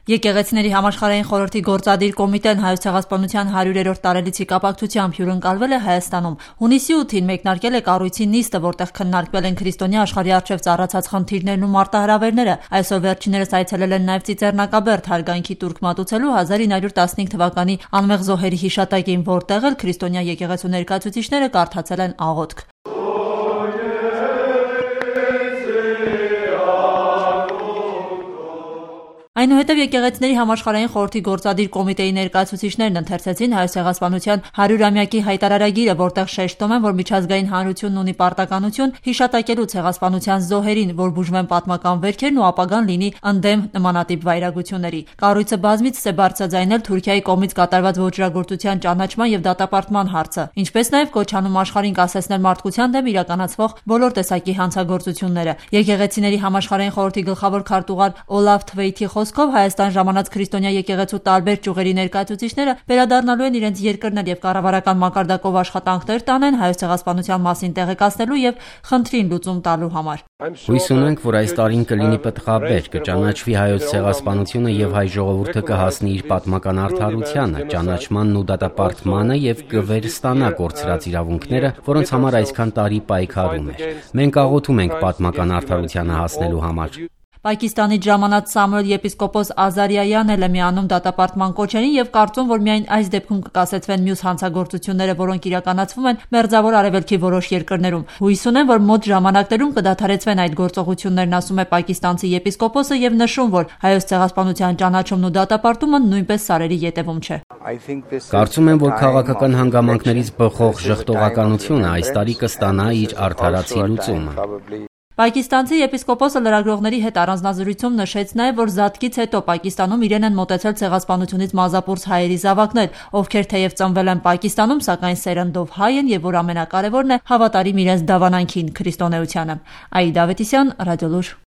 Եկեղեցիների համաշխարհային խորհրդի գործադիր կոմիտեն Հայոց ցեղասպանության 100-րդ տարելիցի կապակցությամբ հյուրընկալվել է Հայաստանում։ Հունիսի 8-ին մեկնարկել է կառույցի նիստը, որտեղ քննարկվել են քրիստոնյա աշխարհի առջև ծառացած խնդիրներն ու մարտահրավերները։ Այսօր վերջիններս այցելել են նաև Ծիծեռնակաբերդ հարգանքի տուրք մատուցելու 1915 թվականի անմեղ զոհերի հիշատակին, որտեղ էլ քրիստոնյա եկեղեցու ներկայացուցիչները կարդացել են աղոթք։ Այնուհետև եկեղեցիների համաշխարհային խորհրդի գործադիր կոմիտեի ներկայացուցիչներն ընթերցեցին Հայոց ցեղասպանության 100-ամյակի հայտարարագիրը, որտեղ շեշտում են, որ միջազգային հանրությունն ունի պարտականություն հիշատակելու ցեղասպանության զոհերին, որ բուժվեն պատմական վերքերն ու ապագան լինի ընդդեմ նմանատիպ վայրագությունների։ Կառույցը բազմիցս է բարձրաձայնել Թուրքիայի կողմից կատարված ոճրագործության ճանաչման եւ դատապարտման հարցը, ինչպես նաև կոչանում աշխարհին կասեցնել մարդկության դեմ իրականացվող բոլոր տեսակի հանցագործությունները։ Եկեղեցիների համաշխարհային խորհրդի գլխավոր քարտուղար Օլաֆ Թվեյթի խոսքով Հայաստան ժամանած քրիստոնյա եկեղեցու տարբեր ճյուղերի ներկայացուցիչները վերադառնալու են իրենց երկրներ եւ կառավարական մակարդակով աշխատանքներ տանեն Հայոց ցեղասպանության մասին տեղեկացնելու եւ խնդրին լուծում տալու համար։ Հույս ունենք, որ այս տարին կլինի պտղաբեր, կճանաչվի Հայոց ցեղասպանությունը եւ հայ ժողովուրդը կհասնի իր պատմական արդարությանը, ճանաչմանն ու դատապարտմանը եւ կվերստանա կորցրած իրավունքները, որոնց համար այսքան տարի պայքարում էր։ Մենք աղոթում ենք պատմական արդարությանը հասնելու համար։ Պակիստանից ժամանած Սամուել եպիսկոպոս Ազարիայանն էլ է միանում դատապարտման կոչերին եւ կարծում, որ միայն այս դեպքում կկասեցվեն մյուս հանցագործությունները, որոնք իրականացվում են Մերձավոր Արևելքի որոշ երկրներում։ Հույս ունեն, որ մոտ ժամանակներում կդադարեցվեն այդ գործողություններն, ասում է պակիստանցի եպիսկոպոսը եւ նշում, որ Հայոց ցեղասպանության ճանաչումն ու դատապարտումը նույնպես սարերի ետևում չէ։ Կարծում եմ, որ քաղաքական հանգամանքներից բխող ժխտողականությունը այս տարի կստանա իր արդարացի լուծումը։ Պակիստանցի եպիսկոպոսը լրագրողների հետ առանձնազրույցում նշեց նաև, որ զատկից հետո Պակիստանում իրեն են մոտեցել ցեղասպանությունից մազապուրս հայերի զավակներ, ովքեր թեև ծնվել են Պակիստանում, սակայն սերնդով հայ են եւ որ ամենակարևորն է հավատարիմ իրենց դավանանքին՝ քրիստոնեությանը։ Այդա Ավետիսյան, Ռադիոլուր։